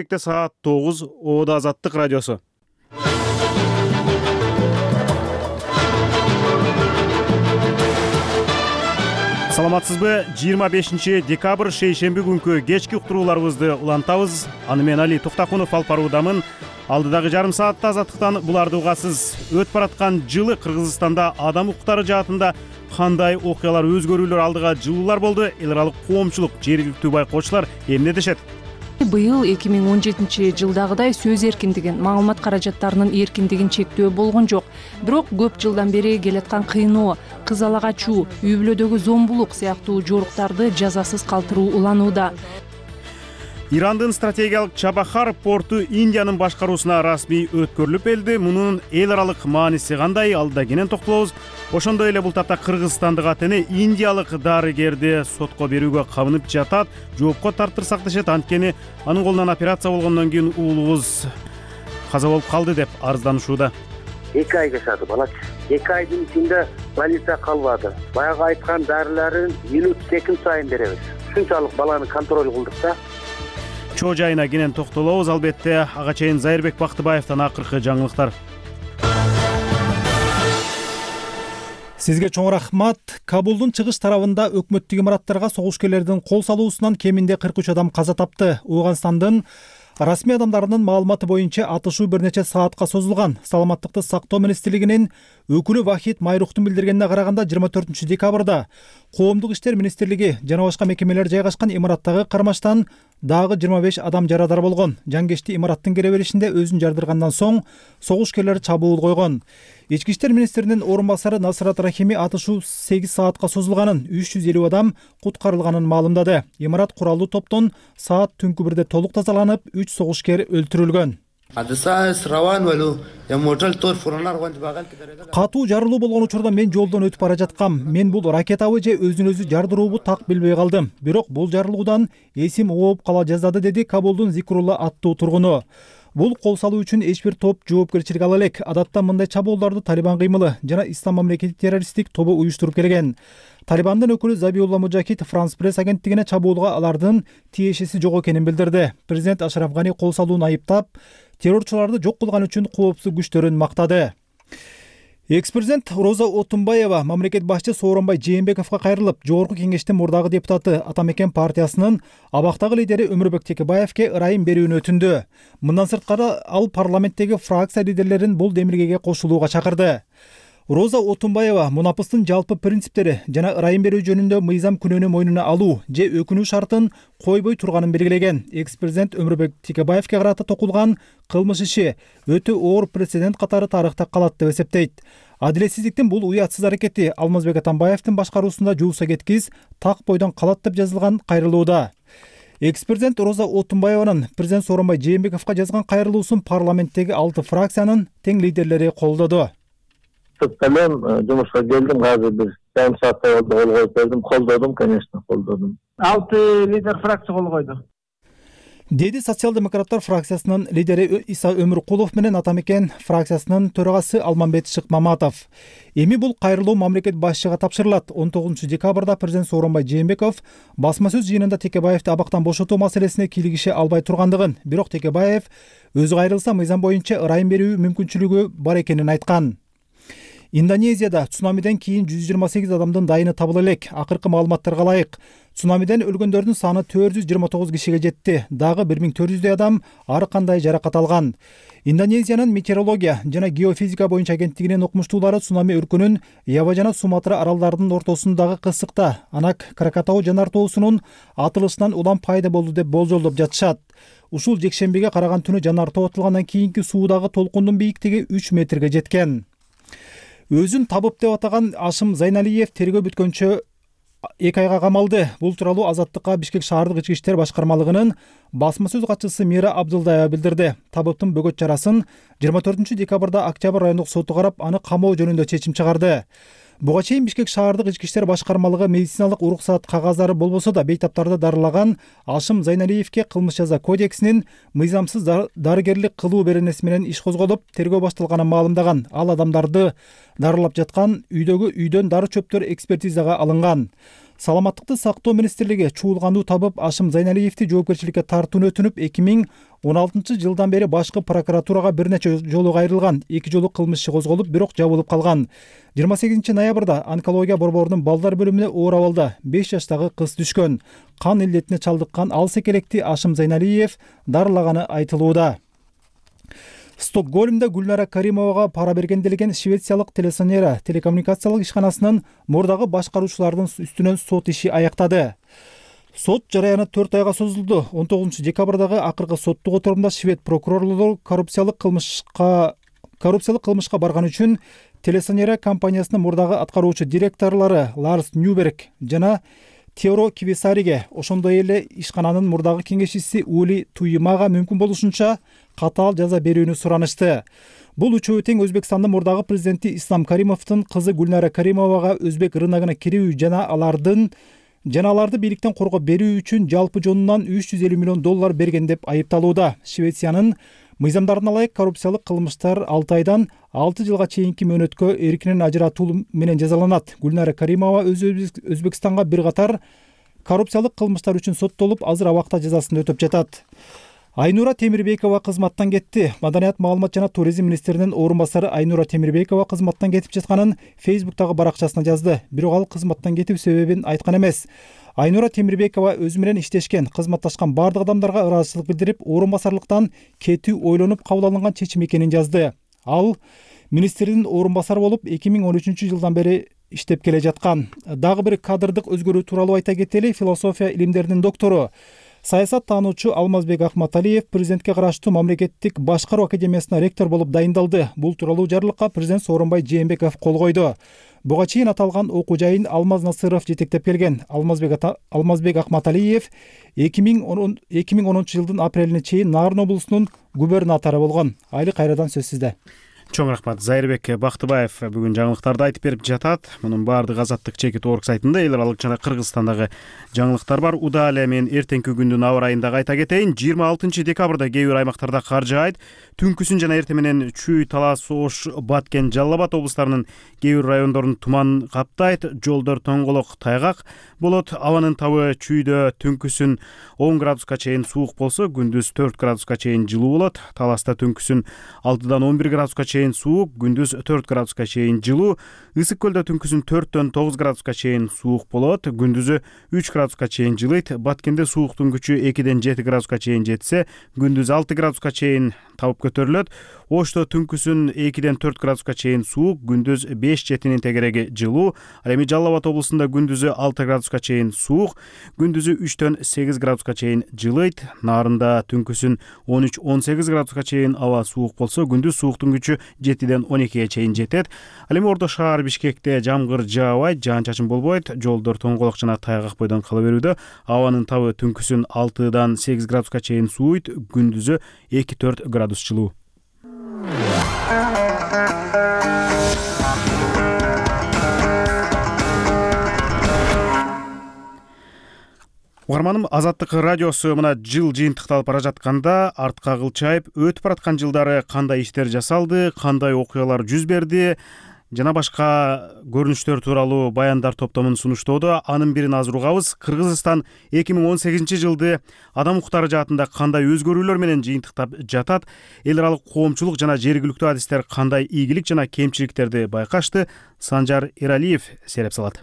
Саат 9 Оода Азаттык радиосу. Саламатсызбы? 25 декабрь шейшемби күнкү кечки уктурууларыбызды улантабыз. Аны мен Али Токтакунов алып баруудамын. Алдыдагы жарым саатта Азаттыктан буларды угасыз. Өтүп бараткан жылы Кыргызстанда адам укуктары жаатында кандай окуялар, өзгөрүүлөр алдыга жылуулар болду? Эл аралык коомчулук, жергиликтүү байкоочулар эмне дешет? Быйыл 2017 жылдагыдай сөз эркиндигин, маалымат каражаттарынын эркиндигин чектөө болгон жок. Бирок көп жылдан бери келаткан кыйноо, кызалак ачуу, үй бүлөдөгү зомбулук сыяктуу жоруктарды жазасыз калтыруу уланууда. Ирандын стратегиялык Чабахар порту Индиянын башкаруусуна расмий өткөрүлүп келди. Мунун эл аралык мааниси кандай? Алда кенен токтолобуз. Ошондой эле бул тапта кыргызстандык атене индиялык дарыгерди сотко берүүгө кабынып жатат. Жоопко тартырсак дешет, анткени анын колунан операция болгондон кийин уулубуз каза болуп калды деп арызданышууда. 2 ай жашады балачы. 2 айдын ичинде больница калбады. Баягы айткан дарыларын минут секунд сайын беребиз. Ушунчалык баланы контроль кылдык да. Чоо жайына кенен токтолобуз. Албетте ага чейин Зайырбек Бактыбаевден акыркы жаңылыктар. Сизге чоң рахмат. Кабулдун чыгыш тарабында өкмөттүк имараттарга согушкерлердин кол салуусунан кеминде 43 адам каза тапты. Ооганстандын расмий адамдарынын маалыматы боюнча атышуу бир нече саатка созулган. Саламаттыкты сактоо министрлигинин өкүлү Вахид Майрухтун билдиргенине караганда 24 декабрда Коомдук иштер министрлиги жана башка мекемелер жайгашкан имараттагы кармаштан дагы 25 адам жарадар болгон. Жангечти имараттын кире беришинде өзүн жардыргандан соң согушкерлер чабуул койгон. Ички иштер министринин орун басары Насрат Рахими атышуу 8 саатка созулганын, 350 адам куткарылганын маалымдады. Имарат куралдуу топтон саат түнкү бирде толук тазаланып, 3 согушкер өлтүрүлгөн. Катуу жарылуу болгон учурда мен жолдон өтүп бара жаткам. Мен бул ракетабы же өзүн өзү жардыруубу так билбей калдым. Бирок бул жарылуудан эсим ооп кала жаздады, деди Кабулдун Зикрулла аттуу тургуну. Бул кол салуу үчүн эч бир топ жоопкерчилик ала элек. Адатта мындай чабуулдарды Талибан кыймылы жана Ислам мамлекети террористтик тобу уюштуруп келген. Талибандын өкүлү Забиулла Мужахид Франс пресс агенттигине чабуулга алардын тиешеси жок экенин билдирди. Президент Ашраф Гани кол салууну айыптап, террорчуларды жок кылган үчүн коопсуздук күчтөрүн мактады. Экс-президент Роза Отунбаева мамлекет башчы Сооронбай Жээнбековго кайрылып, Жогорку кеңештин мурдагы депутаты Атамекен партиясынын абактагы лидери Өмүрбек Текебаевке ырайым берүүнү өтүндү. Мындан сырткары ал парламенттеги фракция лидерлерин бул демилгеге кошулууга чакырды. Роза Отунбаева мунапыстын жалпы принциптери жана ырайым берүү жөнүндө мыйзам күнөөнү мойнуна алуу же өкүнүү шартын койбой турганын белгилеген. Экс-президент Өмүрбек Текебаевке карата токулган кылмыш иши өтө оор прецедент катары тарыхта калат деп эсептейт. Адилетсиздиктин бул уятсыз аракети Алмазбек Атамбаевдин башкаруусунда жууса кеткиз так бойдон калат деп жазылган кайрылууда. Экс-президент Роза Отунбаеванын президент Сооронбай Жээнбековго жазган кайрылуусун парламенттеги 6 фракциянын тең лидерлери колдоду. Мен жумушка келдим, азыр бир жарым сааттай болду, кол коюп бердим, колдодум, конечно, колдодум. 6 лидер фракция кол койду, деди социал-демократтар фракциясынын лидери Иса Өмүркулов менен Атамекен фракциясынын төрагасы Алмамбет Шыкмаматов. Эми бул кайрылуу мамлекет башчыга тапшырылат. 19 декабрда президент Сооронбай Жээнбеков басма сөз жыйынында Текебаевди абактан бошотуу маселесине кийлигише албай тургандыгын, бирок Текебаев өзү кайрылса мыйзам боюнча ырайым берүү мүмкүнчүлүгү бар экенин айткан. Индонезияда цунамиден кийин 128 адамдын дайыны табыла элек. Акыркы маалыматтарга ылайык, цунамиден өлгөндөрдүн саны 429 кишиге жетти. Дагы 1400 адам ар кандай жаракат алган. Индонезиянын метеорология жана геофизика боюнча агенттигинин окумуштуулары цунами өркүнүн Ява жана Суматра аралдарынын ортосундагы кысыкта Анак Кракатау жанар тоосунун атылышынан улам пайда болду деп болжолдоп жатышат. Ушул жекшембиге караган түнү жанар тоо атылгандан кийинки суудагы толкундун бийиктиги 3 метрге жеткен. Өзүн табып деп атаган Ашым Зайналиев тергөө бүткөнчө 2 айга камалды. Бул тууралуу Азаттыкка Бишкек шаардык ички иштер башкармалыгынын басма сөз катчысы Мира Абдылдаева билдирди. Табыптын бөгөт чарасын 24 декабрда Октябрь райондук соту карап, аны камоо жөнүндө чечим чыгарды. Буга чейин Бишкек шаардык ички иштер башкармалыгы медициналык уруксаат кагаздары болбосо да бейтаптарды дарылаган Ашым Зайналиевке кылмыш жаза кодексинин мыйзамсыз дарыгерлик кылуу беренеси менен иш козголуп, тергөө башталганын маалымдаган. Ал адамдарды дарылап жаткан үйдөн дары чөптөр экспертизага алынган. саламаттыкты сактоо министрлиги чуулгануу табып Ашым Зайналиевди жоопкерчиликке тартууну өтүнүп 2016 жылдан бери башкы прокуратурага бир нече жолу кайрылган. 2 жолу кылмыш иши козголуп, бирок жабылып калган. 28 ноябрда онкология борборунун балдар бөлүмүнө оор абалда 5 жаштагы кыз түшкөн. Кан илдетине чалдыккан ал секелекти Ашым Зайналиев дарылаганы айтылууда. Стокгольмде Гүлнара Каримовага пара берген делген Швециялык Телесонера телекоммуникациялык ишканасынын мурдагы башкаруучулардын үстүнөн сот иши аяктады. Сот жараяны 4 айга созулду. 19 декабрдагы акыркы соттук отурумда швед прокурорлору коррупциялык кылмышка барган үчүн Телесонера компаниясынын мурдагы аткаруучу директорлору Ларс Ньюберг жана Теоро Кивисариге, ошондой эле ишкананын мурдагы кеңешчиси Ули Туймага мүмкүн болушунча катаал жаза берүүнү суранышты. Бул үчөө тең Өзбекстандын мурдагы президенти Ислам Каримовдун кызы Гүлнара Каримовага өзбек рыногуна кирүү жана аларды бийликтен коргоп берүү үчүн жалпы жонунан $350 миллион берген деп айыпталууда. Швециянын мыйзамдарына ылайык коррупциялык кылмыштар 6 айдан 6 жылга чейинки мөөнөткө эркинен ажыратуу менен жазаланат. Гүлнара Каримова Өзбекстанга бир катар коррупциялык кылмыштар үчүн соттолуп, азыр абакта жазасын өтөп жатат. Айнура Темирбекова кызматтан кетти. Маданият, маалымат жана туризм министринин орун басары Айнура Темирбекова кызматтан кетип жатканын Facebook'тагы баракчасына жазды. Бирок ал кызматтан кетүү себебин айткан эмес. Айнура Темирбекова өзү менен иштешкен, кызматташкан бардык адамдарга ыраазычылык билдирип, орун басарлыктан кетүү ойлонуп кабыл алынган чечим экенин жазды. Ал министрдин орун басары болуп 2013 жылдан бери иштеп келе жаткан. Дагы бир кадрдык өзгөрүү тууралуу айта кетели. Философия илимдеринин доктору, саясат таануучу Алмазбек Ахматалиев президентке караштуу мамлекеттик башкаруу академиясына ректор болуп дайындалды. Бул тууралуу жарлыкка президент Сооронбай Жээнбеков кол койду. Буга чейин аталган окуу жайын Алмаз Насыров жетектеп келген. Алмазбек Ахматалиев 2010 жылдын апрелине чейин Нарын облусунун губернатору болгон. Айли кайрадан сөз сизде. Чоң рахмат. Зайырбек Бактыбаев бүгүн жаңылыктарды айтып берип жатат. Мунун баардыгы Азаттык чекит орг сайтында эл аралык жана Кыргызстандагы жаңылыктар бар. Удаа эле мен эртеңки күндүн аба ырайын дагы айта кетейин. 26 декабрда кээ бир аймактарда кар жаайт. Түнкүсүн жана эртең менен Чүй, Талас, Ош, Баткен, Жалал Абад облустарынын кээ бир райондорун туман каптайт. Жолдор тоңголок, тайгак болот. Абанын табы Чүйдө түнкүсүн 10 градуска чейин суук болсо, күндүз 4 градуска чейин жылуу болот. Таласта түнкүсүн 6-дан 11 градуска чейин суук, күндүз 4 градуска чейин жылуу. Ысык көлдө түнкүсүн 4-төн 9 градуска чейин суук болот, күндүзү 3 градуска чейин жылыйт. Баткенде сууктун күчү 2-ден 7 градуска чейин жетсе, күндүз 6 градуска чейин табып көтөрүлөт. Ошто түнкүсүн 2-ден 4 градуска чейин суук, күндүз 5-7 тегереги жылуу. Ал эми Жалал Абад облусунда күндүзү 6 градуска чейин суук, күндүзү 3-төн 8 градуска чейин жылыйт. Нарында түнкүсүн 13-18 градуска чейин аба суук болсо, күндүз сууктун күчү 7-ден 12-ге чейин жетет. Ал эми Ордо шаар Бишкекте жамгыр жаабайт, жаан-чачын болбойт, жолдор тоңголок жана тайгак бойдон кала берүүдө. Абанын табы түнкүсүн 6-дан 8 градуска чейин сууйт, күндүзү 2-4 градус жылуу. Угарманым, Азаттык радиосу мына жыл жыйынтыкталып бара жатканда артка кылчайып өтүп бараткан жылдары кандай иштер жасалды, кандай окуялар жүз берди жана башка көрүнүштөр тууралуу баяндар топтомун сунуштоодо. Анын бирин азыр угабыз. Кыргызстан 2018 жылды адам укуктары жаатында кандай өзгөрүүлөр менен жыйынтыктап жатат? Эл аралык коомчулук жана жергиликтүү адистер кандай ийгилик жана кемчиликтерди байкашты? Санжар Эралиев сереп салат.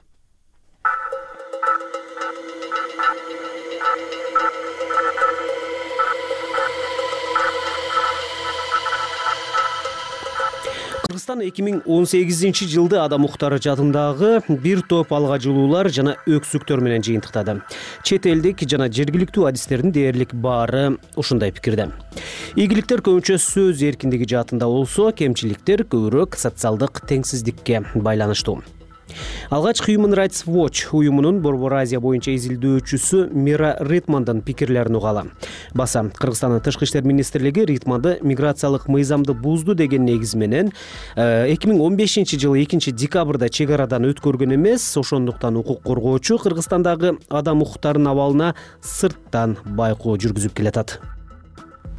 Кыргызстан 2018 жылды адам укуктары жаатындагы бир топ алгачылуулар жана өксүктөр менен жыйынтыктады. Чет элдик жана жергиликтүү адистердин дээрлик баары ушундай пикирде. Ийгиликтер көбүнчө сөз эркиндиги жаатында болсо, кемчиликтер көбүрөөк социалдык теңсиздикке байланыштуу. Алгач Human Rights Watch уюмунун Борбор Азия боюнча изилдөөчүсү Мира Ритмандын пикирлерин угалы. Баса, Кыргызстандын тышкы иштер министрлиги Ритманды миграциялык мыйзамды бузду деген негиз менен 2015 жылы 2 декабрда чек арадан өткөргөн эмес, ошондуктан укук коргоочу Кыргызстандагы адам укуктарынын абалына сырттан байкоо жүргүзүп келатат.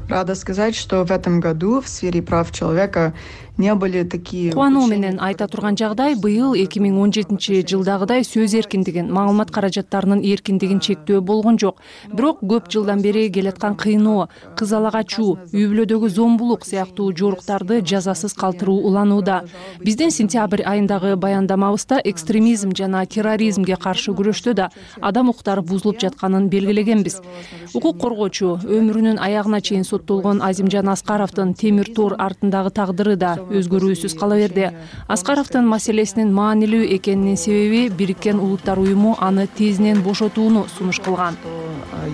Рада сказать, что в этом году в сфере прав человека не были такие. Кубануу менен айта турган жагдай, быйыл 2017-жылдагыдай сөз эркиндигин, маалымат каражаттарынын эркиндигин чектөө болгон жок. Бирок көп жылдан бери келаткан кыйноо, кыз ала качуу, үй бүлөдөгү зомбулук сыяктуу жоруктарды жазасыз калтыруу уланууда. Биздин сентябрь айындагы баяндамабызда экстремизм жана терроризмге каршы күрөштө да адам укуктары бузулуп жатканын белгилегенбиз. Укук коргоочу, өмүрүнүн аягына чейин соттолгон Азимжан Аскаровдун темир тор артындагы тагдыры да өзгөрүүсүз кала берди. Аскаровдун маселесинин маанилүү экенинин себеби Бириккен Улуттар уюму аны тезинен бошотууну сунуш кылган.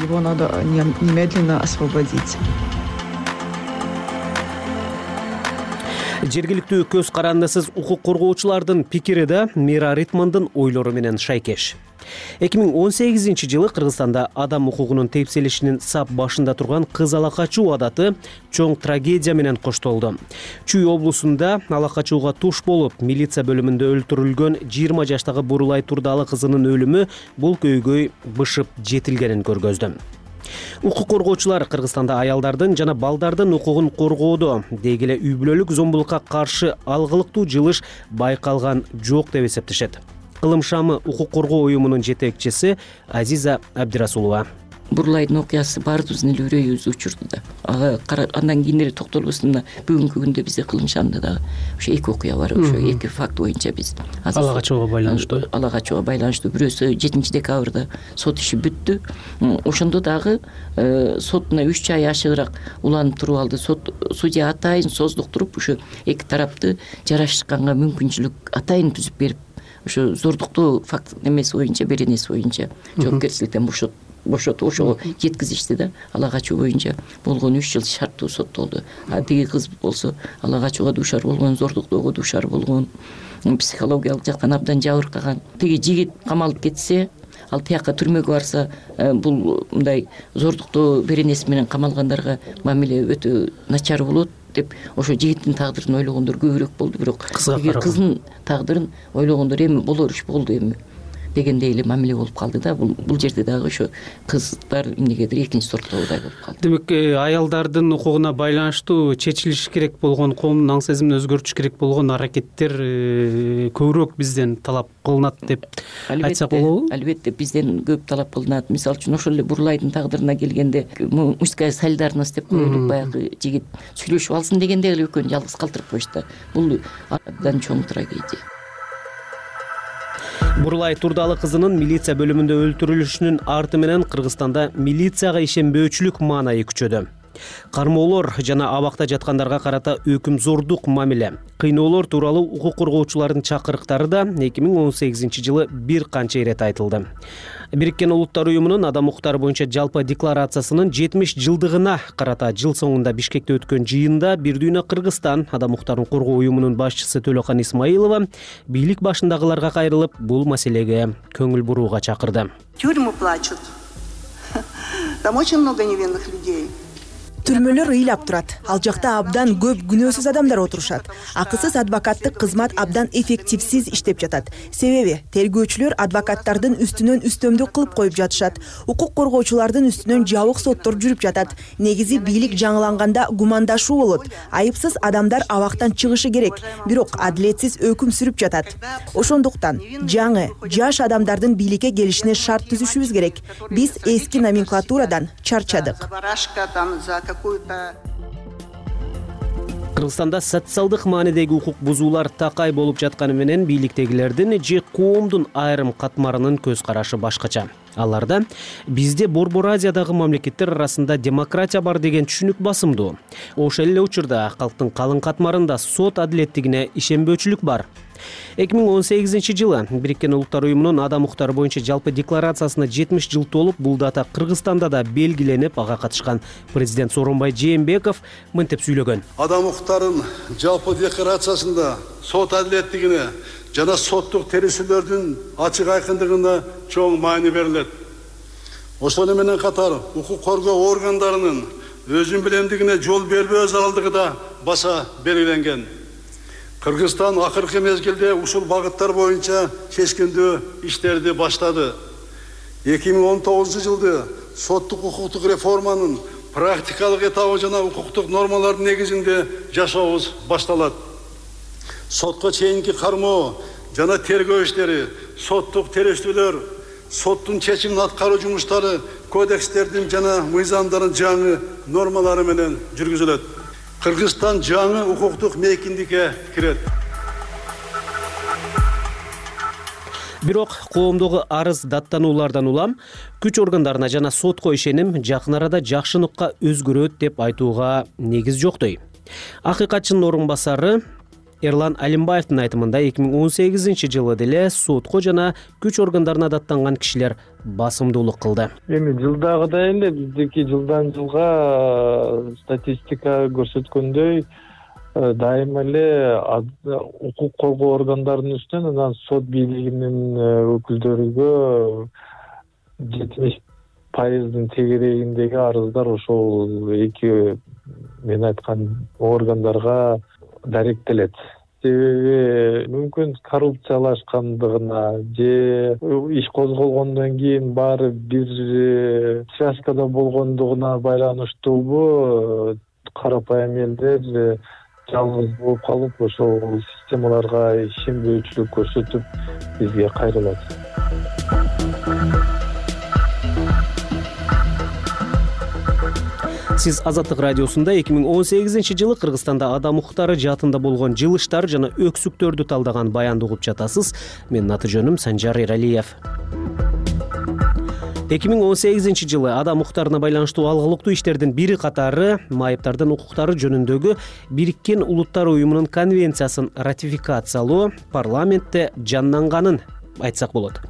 Его надо немедленно освободить. Жергиликтүү көз карандысыз укук коргоочулардын пикири да Мира Ритмандын ойлору менен шайкеш. 2018-жылы Кыргызстанда адам укугунун тепселишинин сап башында турган кыз ала качуу адаты чоң трагедия менен коштолду. Чүй облусунда ала качууга туш болуп, милиция бөлүмүндө өлтүрүлгөн 20 жаштагы Бурулай Турдалы кызынын өлүмү бул көйгөй бышып жетилгенин көргөздү. Укук коргоочулар Кыргызстанда аялдардын жана балдардын укугун коргоодо, деги эле үй бүлөлүк зомбулукка каршы алгылыктуу жылыш байкалган жок деп эсептешет. Кылым шамы укук коргоо уюмунун жетекчиси Азиза Абдирасулова. Бурулайдын окуясы баарыбыздын эле үрөйүбүздү учурду да. Андан кийинери токтолбостун да бүгүнкү күндө бизде кылым шамда дагы ошо эки окуя бар, ошо эки факт боюнча биз ала качууга байланыштуу. Ала качууга байланыштуу. Бирөөсү 7-декабрда сот иши бүттү. Ошондо дагы сотуна 3 ай ашыгыраак уланып туруп алды. Судья атайын создуктуруп, ошо эки тарапты жарашканга мүмкүнчүлүк атайын түзүп берип, ошо зордуктуу факт эмеси боюнча, беренеси боюнча жоопкерчиликтен бошотуп ошого жеткизишти да. Ала качуу боюнча болгон 3 жыл шарттуу соттолду. Тиги кыз болсо ала качууга дуушар болгон, зордуктоого дуушар болгон, психологиялык жактан абдан жабыркаган. Тиги жигит камалып кетсе, ал тияка түрмөгө барса, бул мындай зордуктоо беренеси менен камалгандарга мамиле өтө начар болот деп ошо жигиттин тагдырын ойлогондор көбүрөөк болду. Бирок кыздын тагдырын ойлогондор эми болор иш болду эми дегендей эле мамиле болуп калды да. Бул жерде дагы ошо кыздар эмнегедир экинчи сорттогудай болуп калды. Демек, аялдардын укугуна байланыштуу чечилиш керек болгон, коомдун аң сезимин өзгөртүш керек болгон аракеттер көбүрөөк бизден талап кылынат деп айтсак болобу? Албетте, бизден көп талап кылынат. Мисалы үчүн ошол эле Бурулайдын тагдырына келгенде мужская солидарность деп коелуп, баягы жигит сүйлөшүп алсын дегенде эле экөөнү жалгыз калтырып коюшту. Бул абдан чоң трагедия. Бурулай Турдалы кызынын милиция бөлүмүндө өлтүрүлүшүнүн арты менен Кыргызстанда милицияга ишенбөөчүлүк маанайы күчөдү. Кармоолор жана абакта жаткандарга карата өкүмзордук мамиле, кыйноолор тууралуу укук коргоочулардын чакырыктары да 2018-жылы бир канча ирет айтылды. Бириккен Улуттар уюмунун адам укуктары боюнча жалпы декларациясынын 70 жылдыгына карата жыл соңунда Бишкекте өткөн жыйында Бир дүйнө Кыргызстан адам укуктарын коргоо уюмунун башчысы Төлөкан Исмаилова бийлик башындагыларга кайрылып, бул маселеге көңүл бурууга чакырды. Тюрьмы плачут. Там очень много невинных людей. Түрмөлөр ыйлап турат. Ал жакта абдан көп күнөөсүз адамдар отурушат. Акысыз адвокаттык кызмат абдан эффективсиз иштеп жатат. Себеби тергөөчүлөр адвокаттардын үстүнөн үстөмдүк кылып коюп жатышат. Укук коргоочулардын үстүнөн жабык соттор жүрүп жатат. Негизи бийлик жаңыланганда гумандашуу болот. Айыпсыз адамдар абактан чыгышы керек, бирок адилетсиз өкүм сүрүп жатат. Ошондуктан жаңы, жаш адамдардын бийликке келишине шарт түзүшүбүз керек. Биз эски номенклатурадан чарчадык. Кыргызстанда социалдык маанидеги укук бузуулар такай болуп жатканы менен бийликтегилердин же коомдун айрым катмарынын көз карашы башкача. Аларда бизде Борбор Азиядагы мамлекеттер арасында демократия бар деген түшүнүк басымдуу. Ошол эле учурда калктын калың катмарында сот адилеттигине ишенбөөчүлүк бар. 2018-жылы Бириккен Улуттар уюмунун адам укуктары боюнча жалпы декларациясына 70 жыл толуп, бул дата Кыргызстанда да белгиленип, ага катышкан президент Сооронбай Жээнбеков мынтип сүйлөгөн. Адам укуктарын жалпы декларациясында сот адилеттигине жана соттук терисилердин ачык айкындыгына чоң маани берилет. Ошону менен катар укук коргоо органдарынын өзүн билемдигине жол бербөө зарылдыгы да баса белгиленген. Кыргызстан акыркы мезгилде ушул багыттар боюнча чечкиндүү иштерди баштады. 2019-жылды соттук укуктук реформанын практикалык этабы жана укуктук нормалардын негизинде жашообуз башталат. Сотко чейинки кармоо жана тергөө иштери, соттук териштүүлөр, соттун чечимин аткаруу жумуштары кодекстердин жана мыйзамдардын жаңы нормалары менен жүргүзүлөт. Кыргызстан жаңы укуктук мейкиндикке кирет. Бирок коомдогу арыз даттануулардан улам күч органдарына жана сотко ишеним жакын арада жакшыныкка өзгөрөт деп айтууга негиз жоктой. Акыйкатчынын орун басары Эрлан Алимбаевдин айтымында 2018-жылы деле сотко жана күч органдарына даттанган кишилер басымдуулук кылды. Эми жылдагыдай эле биздики жылдан жылга статистика көрсөткөндөй дайыма эле укук коргоо органдарынын үстүнөн анан сот бийлигинин өкүлдөрүгө 70% тегерегиндеги арыздар ошол эки мен айткан органдарга даректелет. Себеби мүмкүн коррупциялашкандыгына же иш козголгондон кийин баары бир связкада болгондугуна байланыштуубу карапайым элдер жалгыз болуп калып ошол системаларга ишенбөөчүлүк көрсөтүп бизге кайрылат. Сиз Азаттык радиосунда 2018-жылы Кыргызстанда адам укуктары жаатында болгон жылыштар жана өксүктөрдү талдаган баянды угуп жатасыз. Менин аты жөнүм Санжар Эралиев. 2018-жылы адам укуктарына байланыштуу алгылыктуу иштердин бири катары майыптардын укуктары жөнүндөгү Бириккен Улуттар уюмунун конвенциясын ратификациялоо парламентте жанданганын айтсак болот.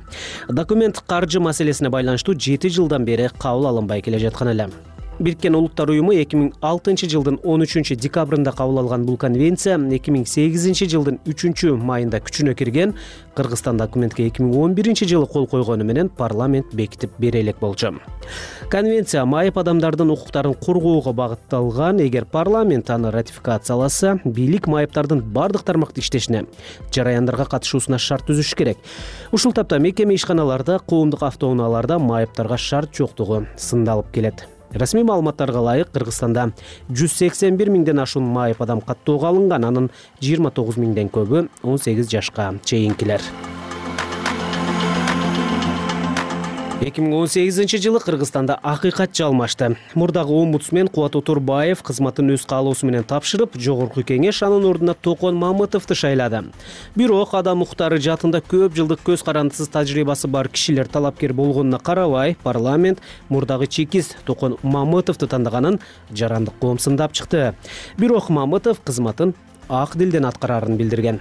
Документ каржы маселесине байланыштуу 7 жылдан бери кабыл алынбай келе жаткан эле. Бириккен Улуттар уюму 2006-жылдын 13 декабрында кабыл алган бул конвенция 2008-жылдын 3 майында күчүнө кирген. Кыргызстан документке 2011-жылы кол койгону менен парламент бекитип бере элек болчу. Конвенция майып адамдардын укуктарын коргоого багытталган. Эгер парламент аны ратификацияласа, бийлик майыптардын бардык тармакта иштешине, жараяндарга катышуусуна шарт түзүш керек. Ушул тапта мекеме ишканаларда, коомдук автоунааларда майыптарга шарт жоктугу сындалып келет. Расмий маалыматтарга ылайык Кыргызстанда 181 миңден ашуун майып адам каттоого алынган, анын 29 миңден көбү 18 жашка чейинкилер. 2018-жылы Кыргызстанда акыйкат жалмашты. Мурдагы омбудсмен Кубат Отурбаев кызматын өз каалоосу менен тапшырып, жогорку кеңеш анын ордуна Токон Мамытовду шайлады. Бирок адам укуктары жаатында көп жылдык көз карандысыз тажрыйбасы бар кишилер талапкер болгонуна карабай, парламент мурдагы чекист Токон Мамытовду тандаганын жарандык коомсундап чыкты. Бирок Мамытов кызматын ак дилден аткарарын билдирген.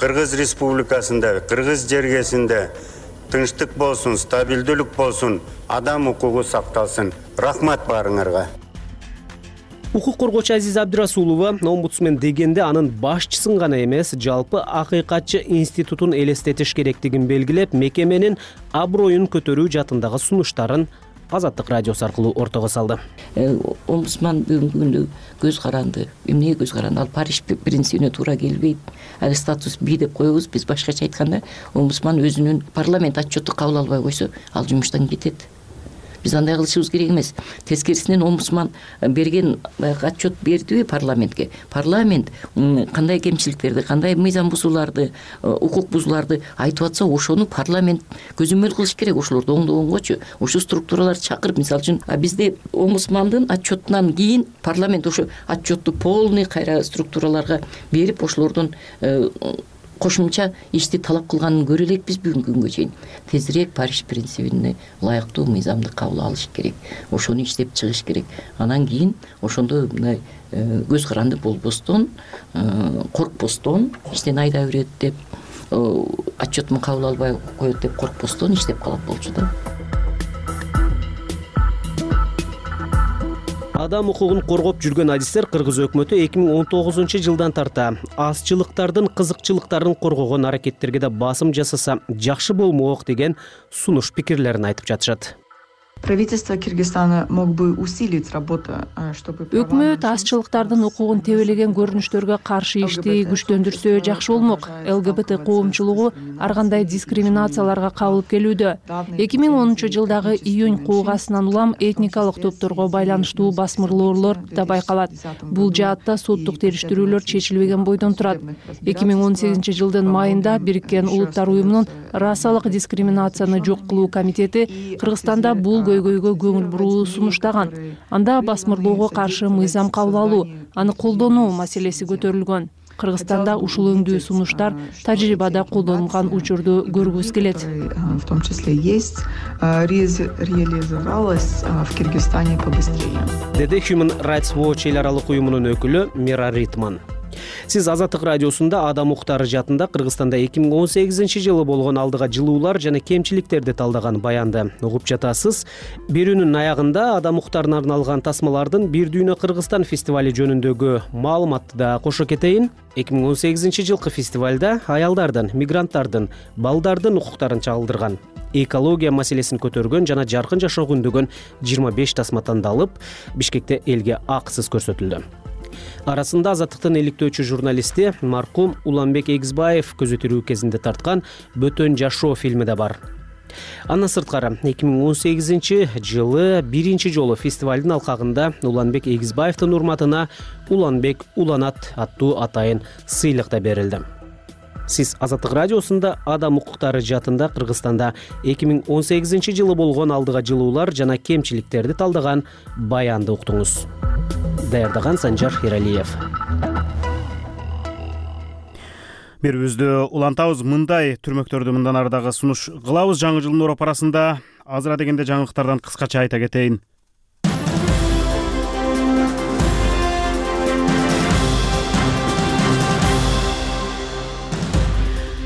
Кыргыз Республикасында, Кыргыз жергесинде тынчтык болсун, стабилдүүлүк болсун, адам укугу сакталсын. Рахмат баарыңарга. Укук коргоочу Азиза Абдырасулова омбудсмен дегенде анын башчысын гана эмес, жалпы акыйкатчы институтун элестетиш керектигин белгилеп, мекеменин аброюн көтөрүү жаатындагы сунуштарын Азаттык радиосу аркылуу ортого салды. Омбудсман бүгүнкү күндө көз каранды. Эмнеге көз каранды? Ал Париж принцибине туура келбейт. Ал статус B деп коебуз. Биз башкача айтканда, омбудсман өзүнүн парламент отчетту кабыл албай койсо, ал жумуштан кетет. Биз андай кылышыбыз керек эмес. Тескерисинен омбудсман берген отчет бердиби парламентке? Парламент кандай кемчиликтерди, кандай мыйзам бузууларды, укук бузууларды айтып атса, ошону парламент көзөмөл кылыш керек. Ошолорду оңдогонгочу, ошо структураларды чакырып, мисалы үчүн бизде омбудсмандын отчетунан кийин парламент ошо отчетту полный кайра структураларга берип, ошолордун кошумча ишти талап кылганын көрө элекпиз бүгүнкү күнгө чейин. Тезирээк Париж принцибине ылайыктуу мыйзамды кабыл алыш керек. Ошону иштеп чыгыш керек. Анан кийин ошондо мындай көз каранды болбостон, коркпостон, иштен айдап берет деп, отчетун кабыл албай коет деп коркпостон иштеп калат болчу да. Адам укугун коргоп жүргөн адистер Кыргыз өкмөтү 2019-жылдан тарта азчылыктардын кызыкчылыктарын коргогон аракеттерге да басым жасаса жакшы болмок деген сунуш пикирлерин айтып жатышат. Правительство Кыргызстана мог бы усилить работу, чтобы өкмөт азчылыктардын укугун тебелеген көрүнүштөргө каршы ишти күчтөндүрсө жакшы болмок. ЛГБТ коомчулугу ар кандай дискриминацияларга кабылып келүүдө. 2010 жылдагы июнь куугасынан улам этникалык топторго байланыштуу басмырлоолор да байкалат. Бул жаатта соттук териштирүүлөр чечилбеген бойдон турат. 2018 жылдын майында Бириккен Улуттар уюмунун расалык дискриминацияны жок кылуу комитети Кыргызстанда бул көйгөйгө көңүл буруу сунуштаган. Анда басмырлоого каршы мыйзам кабыл алуу, аны колдонуу маселеси көтөрүлгөн. Кыргызстанда ушул өңдүү сунуштар тажрыйбада колдонулган учурду көргүбүз келет. В том числе есть, реализовалась в Кыргызстане побыстрее. Деди Human Rights Watch эл аралык уюмунун өкүлү Мира Ритман. Сиз Азаттык радиосунда Адам укуктары жаатында Кыргызстанда 2018 жылы болгон алдыга жылуулар жана кемчиликтерди талдаган баянды угуп жатасыз. Берүүнүн аягында Адам укуктарына арналган тасмалардын Бир дүйнө Кыргызстан фестивали жөнүндөгү маалыматты да кошо кетейин. 2018 жылкы фестивалда аялдардын, мигранттардын, балдардын укуктарын чагылдырган, экология маселесин көтөргөн жана жаркын жашоого үндөгөн 25 тасма тандалып, Бишкекте элге акысыз көрсөтүлдү. Арасында Азаттыктын иликтөөчү журналисти маркум Уланбек Эгизбаев көзөтүрүү кезинде тарткан Бөтөн жашоо фильми да бар. Андан сырткары 2018 жылы биринчи жолу фестивалдын алкагында Уланбек Эгизбаевдин урматына Уланбек уланат аттуу атайын сыйлык да берилди. Сиз Азаттык радиосунда Адам укуктары жаатында Кыргызстанда 2018 жылы болгон алдыга жылуулар жана кемчиликтерди талдаган баянды уктуңуз. Даярдаган Санжар Эралиев. Берүүбүздү улантабыз. Мындай түрмөктөрдү мындан ары дагы сунуш кылабыз. Жаңы жылдын оропарасында азыра дегенде жаңылыктардан кыскача айта кетейин.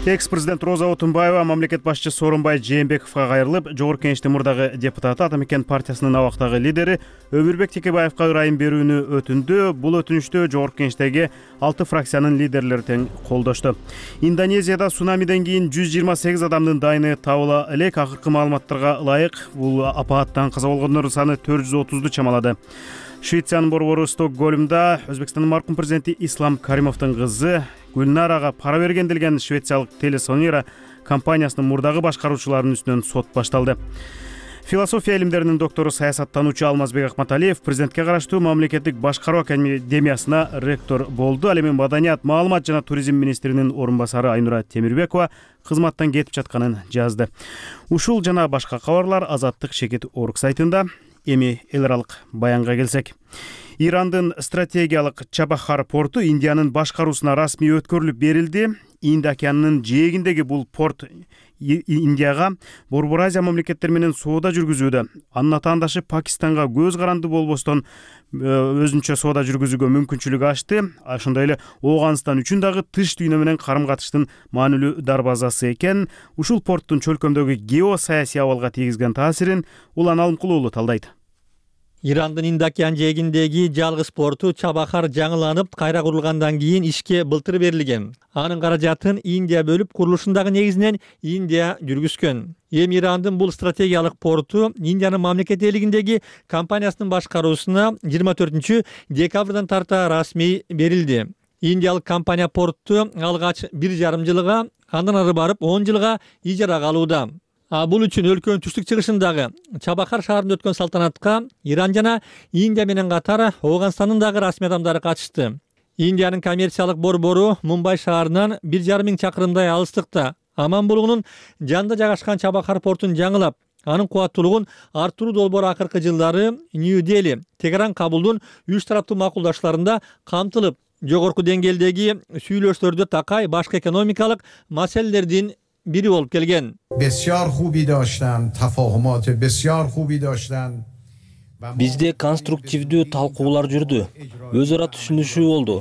Экс-президент Роза Отунбаева мамлекет башчысы Сооронбай Жээнбековго кайрылып, Жогорку Кеңештин мурдагы депутаты Атамекен партиясынын абактагы лидери Өмүрбек Текебаевга ырайым берүүнү өтүндү. Бул өтүнүштү Жогорку Кеңештеги 6 фракциянын лидерлери тең колдошту. Индонезияда цунамиден кийин 128 адамдын дайыны табыла элек. Акыркы маалыматтарга ылайык бул апааттан каза болгондордун саны 430ду чамалады. Швециянын борбору Стокгольмда Өзбекстандын маркум президенти Ислам Каримовдун кызы Гүлнарага пара берген делген швециялык Телесонера компаниясынын мурдагы башкаруучуларынын үстүнөн сот башталды. Философия илимдеринин доктору, саясаттануучу Алмазбек Акматалиев президентке караштуу мамлекеттик башкаруу академиясына ректор болду. Ал эми маданият, маалымат жана туризм министринин орун басары Айнура Темирбекова кызматтан кетип жатканын жазды. Ушул жана башка кабарлар Азаттык Шекет Орг сайтында. Эми эл аралык баянга келсек. Ирандын стратегиялык Чабахар порту Индиянын башкаруусуна расмий өткөрүлүп берилди. Инд океанынын жээгиндеги бул порт Индияга Борбор Азия мамлекеттери менен соода жүргүзүүдө. Анын атаандашы Пакистанга көз каранды болбостон өзүнчө соода жүргүзүүгө мүмкүнчүлүк ачты. Ошондой эле Ооганстан үчүн дагы тыш дүйнө менен карым-катыштын маанилүү дарбазасы экен. Ушул порттун чөлкөмдөгү геосаясий абалга тийгизген таасирин Улан Алымкулуулу талдайт. Ирандын Инд океан жээгиндеги жалгыз порту Чабахар жаңыланып, кайра курулгандан кийин ишке былтыр берилген. Анын каражатын Индия бөлүп, курулушундагы негизинен Индия жүргүзгөн. Эми Ирандын бул стратегиялык порту Индиянын мамлекет элигиндеги компаниясынын башкаруусуна 24 декабрдан тарта расмий берилди. Индиялык компания портту алгач 1,5 жылга, андан ары барып 10 жылга ижарага алууда. Бул үчүн өлкөнүн түштүк чыгышындагы Чабахар шаарында өткөн салтанатка Иран жана Индия менен катар Ооганстандын дагы расмий адамдары катышты. Индиянын коммерциялык борбору Мумбай шаарынан 1,5 чакырымдай алыстыкта Аманбулугунун жанында жайгашкан Чабахар портун жаңылап, анын кубаттуулугун арттыруу долбоору акыркы жылдары Нью-Дели, Тегеран, Кабулдун 3 тараптуу макулдаштарында камтылып, жогорку деңгээлдеги сүйлөшүүлөрдө такай башкы экономикалык маселелердин бири болуп келген. Бизде конструктивдүү талкуулар жүрдү. Өз ара түшүнүшүү болду.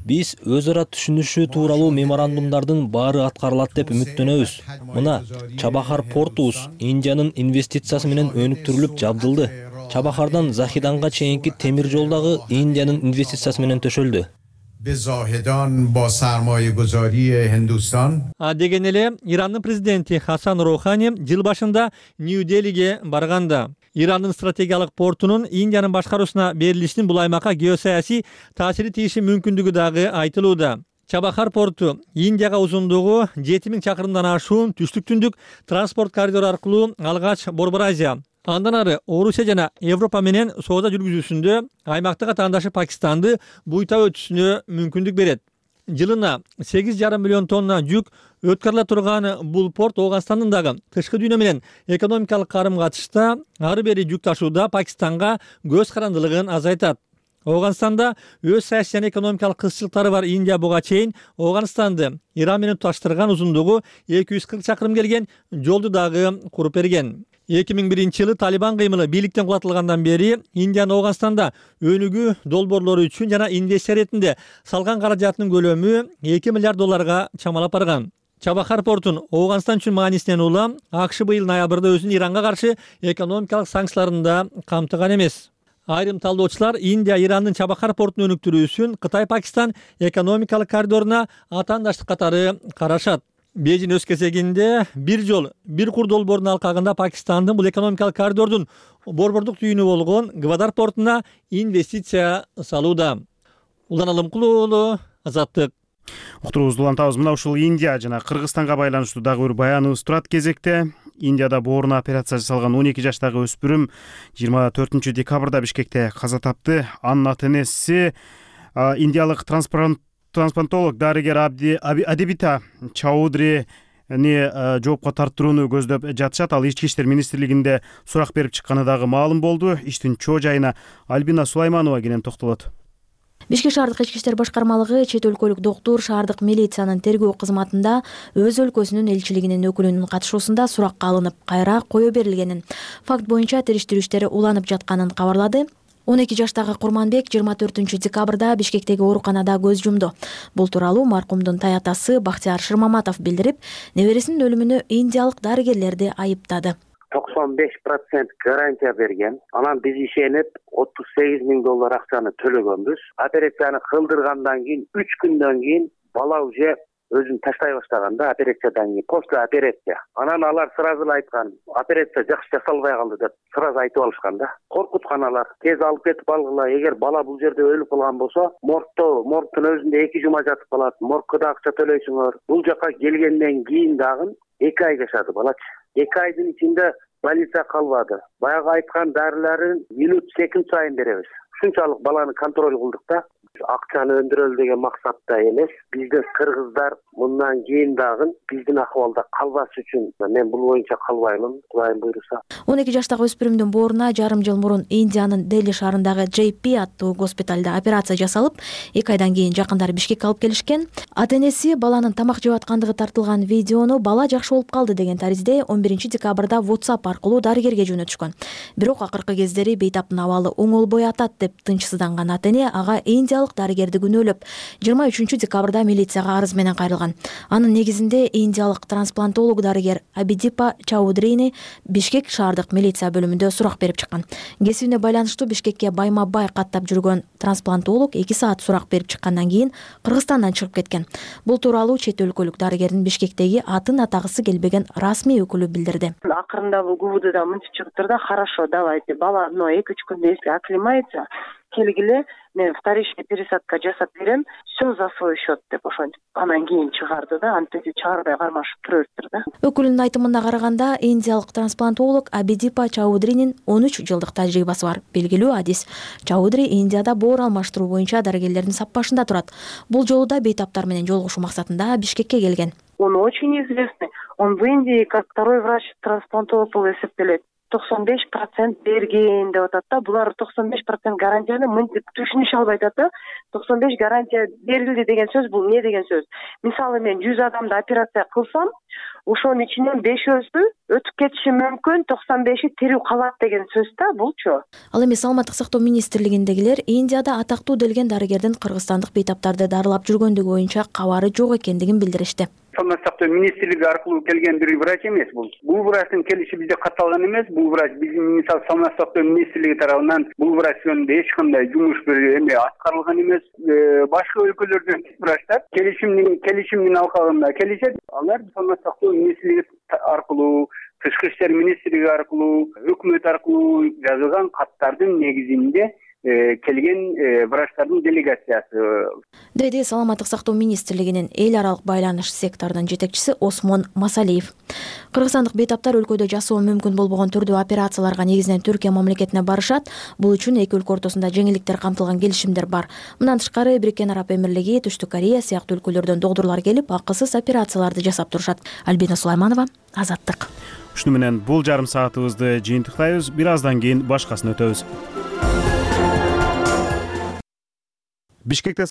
Биз өз ара түшүнүшүү тууралуу меморандумдардын баары аткарылат деп үмүттөнөбүз. Мына Чабахар портубуз Индиянын инвестициясы менен өнүктүрүлүп жабдылды. Чабахардан Захиданга чейинки темир жол дагы Индиянын инвестициясы менен төшөлдү. Деген эле Ирандын президенти Хасан Роухани жыл башында Нью-Делиге барганда Ирандын стратегиялык портунун Индиянын башкаруусуна берилишинин бул аймакка геосаясий таасири тийиши мүмкүндүгү дагы айтылууда. Чабахар порту Индияга узундугу 7000 чакырымдан ашуун түштүк-түндүк транспорт коридору аркылуу алгач Борбор Азия, андан ары Орусия жана Европа менен соода жүргүзүүсүндө аймактык атаандашы Пакистанды буйтап өтүшүнө мүмкүндүк берет. Жылына 8,5 миллион тонна жүк өткөрүлө турган бул порт Ооганстандын дагы тышкы дүйнө менен экономикалык карым-катышта ары бери жүк ташууда Пакистанга көз карандылыгын азайтат. Ооганстанда өз саясий жана экономикалык кызчылыктары бар Индия буга чейин Ооганстанды Иран менен туташтырган узундугу 240 чакырым келген жолду дагы куруп берген. 2001-жылы Талибан кыймылы бийликтен кулатылгандан бери Индиянын Ооганстанда өнүгүү долбоорлору үчүн жана инвестиция иретинде салган каражатынын көлөмү 2 миллиард долларга чамалап барган. Чабахар портун Ооганстан үчүн маанисинен улам АКШ быйыл ноябрда өзүнүн Иранга каршы экономикалык санкцияларын да камтыган эмес. Айрым талдоочулар Индия Ирандын Чабахар портун өнүктүрүүсүн Кытай-Пакистан экономикалык коридоруна атаандаштык катары карашат. Бейжин өз кезегинде бир жол, бир кур долбоорунун алкагында Пакистандын бул экономикалык коридордун борбордук түйүнү болгон Гвадар портуна инвестиция салууда. Улан Алымкулуу уулу, Азаттык. Уктуруубузду улантабыз. Мына ушул Индия жана Кыргызстанга байланыштуу дагы бир баяныбыз турат кезекте. Индияда бооруна операция жасалган 12 жаштагы өспүрүм 24 декабрда Бишкекте каза тапты. Анын ата-энеси индиялык трансплантолог дарыгер Адибита Чаудрини жоопко тартууну көздөп жатышат. Ал Ички иштер министрлигинде сурак берип чыкканы дагы маалым болду. Иштин чоо жайына Альбина Сулайманова кенен токтолот. Бишкек шаардык ички иштер башкармалыгы чет өлкөлүк доктур шаардык милициянын тергөө кызматында өз өлкөсүнүн элчилигинин өкүлүнүн катышуусунда суракка алынып кайра кое берилгенин, факт боюнча териштирүү иштери уланып жатканын кабарлады. 12 жаштагы Курманбек 24 декабрда Бишкектеги ооруканада көз жумду. Бул тууралуу маркумдун таятасы Бактияр Шырмаматов билдирип, небересинин өлүмүнө индиялык дарыгерлерди айыптады. 95% гарантия берген. Анан биз ишенип 38 000 доллар акчаны төлөгөнбүз. Операцияны кылдыргандан кийин 3 күндөн кийин бала уже өзүн таштай баштаганда операциядан кийин после операция. Анан алар сразу эле айткан, операция жакшы жасалбай калды деп сразу айтып алышкан да. Коркуткан алар. Тез алып кетип алгыла. Эгер бала бул жерде өлүп калган болсо, моргтун өзүндө 2 жума жатып калат. Моргко да акча төлөйсүңөр. Бул жака келгенден кийин дагы 2 ай жашады балачы. 2 айдын ичинде больница калбады. Баягы айткан дарыларын минут секунд сайын беребиз. Ушунчалык баланы контроль кылдык да. Акчаны өндүрөлү деген максатта эмес. Биздин кыргыздар мындан кийин дагы биздин акыбалда калбаш үчүн мен бул боюнча калбаймын, Кудайым буйруса. 12 жаштагы өспүрүмдүн бооруна жарым жыл мурун Индиянын Дели шаарындагы JP аттуу госпиталда операция жасалып, 2 айдан кийин жакындары Бишкекке алып келишкен. Ата-энеси баланын тамак жеп аткандыгы тартылган видеону бала жакшы болуп калды деген таризде 11 декабрда WhatsApp аркылуу дарыгерге жөнөтүшкөн. Бирок акыркы кездери бейтаптын абалы оңолбой атат деп тынчсызданган ата-эне ага индиялык дарыгерди күнөөлөп 23 декабрда милицияга арыз менен кайрылган. Анын негизинде индиялык трансплантолог дарыгер Абидипа Чаудрини Бишкек шаардык милиция бөлүмүндө сурак берип чыккан. Кесибине байланыштуу Бишкекке байма-бай каттап жүргөн трансплантолог 2 саат сурак берип чыккандан кийин Кыргызстандан чыгып кеткен. Бул тууралуу чет өлкөлүк дарыгердин Бишкектеги атын атагысы келбеген расмий өкүлү билдирди. Акырында бул ГУБДдан мынтип чыгыптыр да, хорошо, давайте, бала 2-3 күндө если оклемается, келгиле, мен вторичный пересадка жасап берем, все за свой счет деп ошентип анан кийин чыгарды да, антип чыгарбай кармашып туруптур да. Өкүлүнүн айтымына караганда, индиялык трансплантолог Абидипа Чаудринин 13 жылдык тажрыйбасы бар. Белгилүү адис. Чаудри Индияда боор алмаштыруу боюнча дарыгерлердин саппашында турат. Бул жолу да бейтаптар менен жолугушуу максатында Бишкекке келген. Он очень известный. Он в Индии как второй врач-трансплантолог болуп эсептелет. 95% берген деп атат да. Булар 95% гарантияны мынтип түшүнүшө албай атат да. 95 гарантия берилди деген сөз бул эмне деген сөз? Мисалы мен 100 адамды операция кылсам, ошонун ичинен 5-өзү өтүп кетиши мүмкүн, 95-и тирүү калат деген сөз да булчу. Ал эми Саламаттык сактоо министрлигиндегилер Индияда атактуу делген дарыгердин кыргызстандык бейтаптарды дарылап жүргөндүгү боюнча кабары жок экендигин билдиришти. Саламаттык сактоо министрлиги аркылуу келген бир врач эмес бул. Бул врачтын келиши бизде катталган эмес. Бул врач биздин мисалы Саламаттык сактоо министрлиги тарабынан бул врач жөнүндө эч кандай жумуш эме аткарылган эмес. Башка өлкөлөрдөн врачтар келишимдин алкагында келишет. Алар Саламаттык сактоо министрлиги аркылуу Тышкы иштер министрлиги аркылуу, өкмөт аркылуу жазылган каттардын негизинде келген врачтардын делегациясы, деди Саламаттык сактоо министрлигинин эл аралык байланыш секторунун жетекчиси Осмон Масалиев. Кыргызстандык бейтаптар өлкөдө жасоо мүмкүн болбогон түрдүү операцияларга негизинен Түркия мамлекетине барышат. Бул үчүн эки өлкө ортосунда жеңилдиктер камтылган келишимдер бар. Мындан тышкары Бириккен Араб Эмирлиги, Түштүк Корея сыяктуу өлкөлөрдөн доктурлар келип, акысыз операцияларды жасап турушат. Альбина Сулайманова, Азаттык. Ушуну менен бул жарым саатыбызды жыйынтыктайбыз. Бир аздан кийин башкасын өтөбүз. Бишкекте